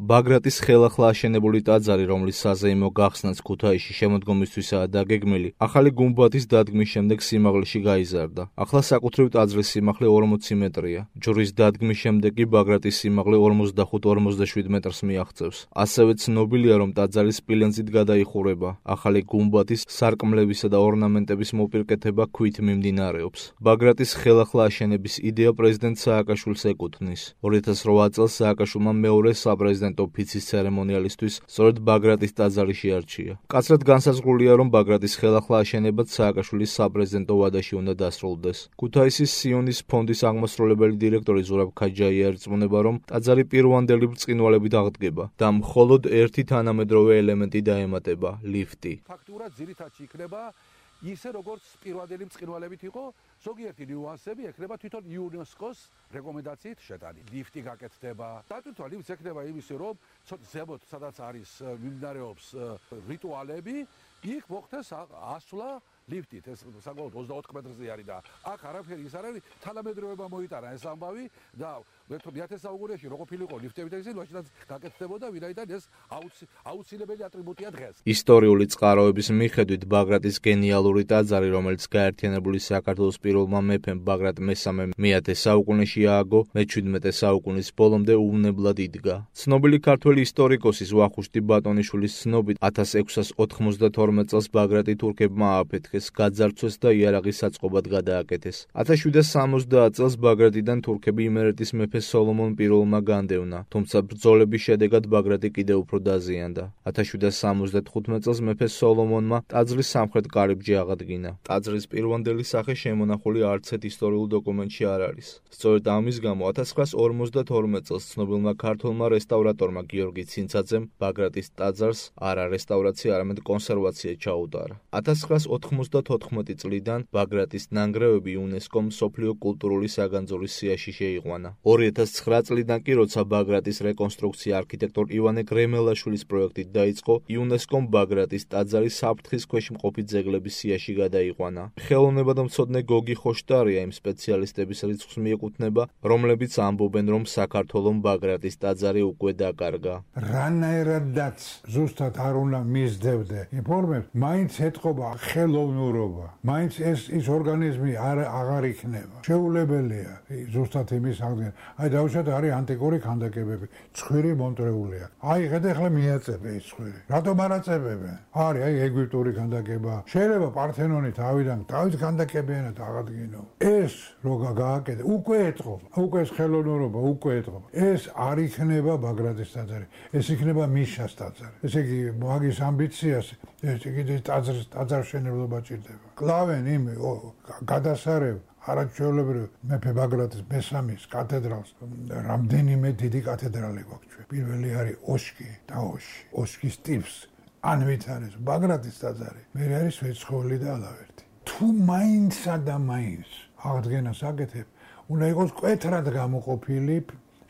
ბაგრატის ხელახლა აშენებული ტაძარი, რომლის საზეიმო გახსნაც ქუთაისში შემოდგომისთვისაა დაგეგმილი, ახალი გუმბათის დადგმის შემდეგ სიმაღლეში გაიზარდა. ახლა საკუთრივ ტაძრის სიმაღლე 40 მეტრია. ჯვრის დადგმის შემდეგ კი ბაგრატის სიმაღლე 45-47 მეტრს მიაღწევს. ასევე ცნობილია, რომ ტაძარი სპილენძით გადაიხურება. ახალი გუმბათის, სარკმლებისა და ორნამენტების მოპირკეთება ქვით მიმდინარეობს. ბაგრატის ხელახლა აშენების იდეა პრეზიდენტ სააკაშვილს ეკუთვნის. 2008 წელს სააკაშვილმა მეორე საპრეზიდენტო ფიცის ცერემონიალისთვის სწორედ ბაგრატის ტაძარი შეარჩია. მკაცრად განსაზღვრულია, რომ ბაგრატის ხელახლა აშენებაც სააკაშვილის საპრეზიდენტო ვადაში უნდა დასრულდეს. ქუთაისის სიონის ფონდის აღმასრულებელი დირექტორი ზურაბ ქაჯაია ერწმუნება, რომ ტაძარი პირვანდელი ბრწყინვალებით აღდგება და მხოლოდ ერთი თანამედროვე ელემენტი დაემატება – ლიფტი. ფაქტურად ძირითადში იქნება ისე როგორც პირვანდელი ბრწყინვალებით იყო, ზოგიერთი ნიუანსები ექნება თვითონ იუნესკოს რეკომენდაციით შეტანილი. ლიფტი გაკეთდება. დატვირთვა ლიფტს ექნება იმისი, რომ ზემოთ სადაც არის მიმდინარეობს რიტუალები, იქ მოხდეს ასვლა ლიფტით. ეს საკმაოდ 24 მეტრზე არის და აქ არაფერი ის არ არის, თანამედროვეობა მოიტანა ეს ამბავი და მე-10 საუკუნეში რო ყოფილიყო ლიფტები და ისინი მაშინაც გაკეთდებოდა, ვინაიდან ეს აუცილებელი ატრიბუტია დღეს. ისტორიული წყაროების მიხედვით ბაგრატის გენიალური ტაძარი, რომელიც გაერთიანებული საქართველოს პირველმა მეფემ ბაგრატ მესამემ მე-10 საუკუნეში ააგო, მე-17 საუკუნის ბოლომდე უვნებლად იდგა. ცნობილი ქართველი ისტორიკოსის ვახუშტი ბატონიშვილის ცნობით 1692 წელს ბაგრატი თურქებმა ააფეთქეს, გაძარცვეს და იარაღის საწყობად გადააკეთეს. 1770 წელს ბაგრატიდან თურქები იმერეთის მეფე სოლომონ პირველმა განდევნა, თუმცა ბრძოლების შედეგად ბაგრატი კიდევ უფრო დაზიანდა. 1775 წელს მეფე სოლომონმა ტაძრის სამხრეთ კარიბჭე აღადგინა. ტაძრის პირვანდელი სახე შემონახული არც ერთ ისტორიულ დოკუმენტში არ არის. სწორედ ამის გამო 1952 წელს ცნობილმა ქართველმა რესტავრატორმა გიორგი ცინცაძემ ბაგრატის ტაძარს არა რესტავრაცია, არამედ კონსერვაცია ჩაუტარა. 1994 წლიდან ბაგრატის ნანგრევები იუნესკომ მსოფლიო კულტურული საგანძურის სიაში შეიყვანა. 2009 წლიდან კი, როცა ბაგრატის რეკონსტრუქცია არქიტექტორ ივანე გრემელაშვილის პროექტით დაიწყო, იუნესკომ ბაგრატის ტაძარი საფრთხის ქვეშ მყოფი ძეგლების სიაში გადაიყვანა. ხელოვნებადმცოდნე გოგი ხოშტარია იმ სპეციალისტების რიცხვს მიეკუთვნება, რომლებიც ამბობენ, რომ საქართველომ ბაგრატის ტაძარი უკვე დაკარგა. რანაირადაც ზუსტად არ უნდა მისდევდე ინფორმაციას, მაინც ეთყობა ხელოვნურობა, მაინც ის ორგანიზმი აღარ იქნება. შეუძლებელია ზუსტად იმის აღდგენა. აი დავუშვათ, არის ანტიკური ქანდაკებები, ცხვირი მონტრეულია. აი ეხლა მიაწებე ეს ცხვირი. რატომ არ აწებებენ? არის აი ეგვიპტური ქანდაკება. შეიძლება პართენონი თავიდან ქანდაკებიანად აღადგინო. ეს რო გააკეთე, უკვე ეთყობა. უკვე ეს ხელოვნურობა უკვე ეთყობა. ეს არ იქნება ბაგრატის ტაძარი. ეს იქნება მიშას ტაძარი. ესე იგი, მაგის ამბიციას ეს იგი ტაძარშენებლობა ჭირდება. კლავენ იმ გადასარევ არაჩვეულებრივ მეფე ბაგრატის მესამის კათედრალს, რამდენიმე დიდი კათედრალი გვაქვს ჩვენ. პირველი არის ოსკი და ოსკის ტიპს ანვითარეს ბაგრატის ტაძარი. მე არის ვეცხოველი და ალავერტი. თუ მაინცსა და მაინც აღდგენას აკეთებ, უნდა იყოს მკვეთრად გამოყოფილი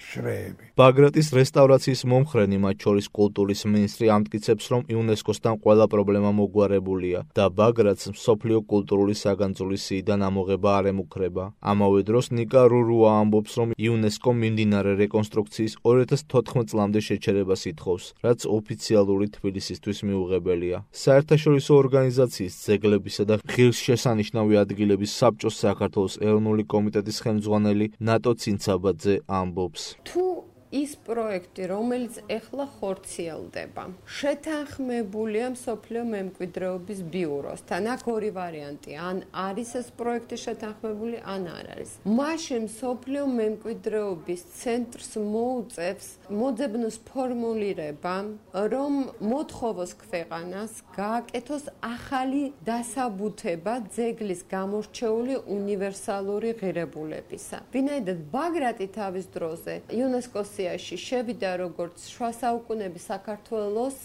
შრეები. ბაგრატის რესტავრაციის მომხრენი, მათ შორის კულტურის მინისტრი, ამტკიცებს, რომ იუნესკოსთან ყველა პრობლემა მოგვარებულია და ბაგრატს მსოფლიო კულტურული საგანძურის სიიდან ამოღება არ ემუქრება. ამავე დროს ნიკა რურუა ამბობს, რომ იუნესკო მიმდინარე რეკონსტრუქციის 2014 წლამდე შეჩერებას ითხოვს, რაც ოფიციალური თბილისისთვის მიუღებელია. საერთაშორისო ორგანიზაციის ძეგლებისა და ღირსშესანიშნავი ადგილების საბჭოს საქართველოს ეროვნული კომიტეტის ხელმძღვანელი ნატო ცინცაბაძე ამბობს. თუ ის პროექტი, რომელიც ეხლა ხორციელდება, შეთანხმებულია მსოფლიო მემკვიდრეობის ბიუროსთან, აქ ორი ვარიანტი, ან არის ეს პროექტი შეთანხმებული, ან არ არის. მაშინ მსოფლიო მემკვიდრეობის ცენტრს მოუწევს მოძებნოს ფორმულირება, რომ მოთხოვოს ქვეყანას გააკეთოს ახალი დასაბუთება ძეგლის გამორჩეული უნივერსალური ღირებულებისა. ვინაიდან ბაგრატი თავის დროზე იუნესკოს შევიდა როგორც შუა საუკუნეების საქართველოს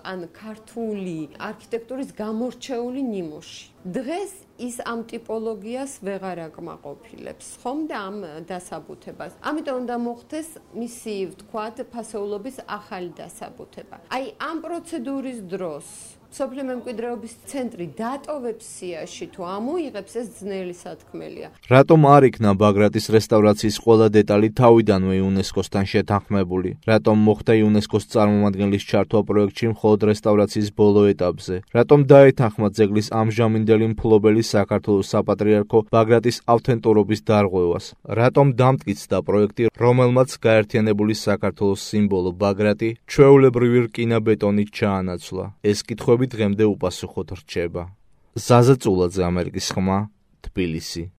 ან ქართული არქიტექტურის გამორჩეული ნიმუში. დღეს ის ამ ტიპოლოგიას ვეღარ აკმაყოფილებს, ხომ და ამ დასაბუთებას. ამიტომ უნდა მოხდეს მისი, ვთქვათ, ფასეულობის ახალი დასაბუთება. აი, ამ პროცედურის დროს სოფლიო მემკვიდრეობის ცენტრი დატოვებს სიაში თუ ამოიღებს, ეს ძნელი სათქმელია. რატომ არ იქნა ბაგრატის რესტავრაციის ყველა დეტალი თავიდანვე იუნესკოსთან შეთანხმებული? რატომ მოხდა იუნესკოს წარმომადგენლის ჩართვა პროექტში მხოლოდ რესტავრაციის ბოლო ეტაპზე? რატომ დაეთანხმა ძეგლის ამჟამინდელი მფლობელი საქართველოს საპატრიარქო ბაგრატის ავთენტურობის დარღვევას? რატომ დამტკიცდა პროექტი, რომელმაც გაერთიანებული საქართველოს სიმბოლო ბაგრატი ჩვეულებრივი რკინა-ბეტონით ჩაანაცვლა? ეს კითხვები დღემდე უპასუხოდ რჩება. ზაზა წულაძე, ამერიკის ხმა, თბილისი.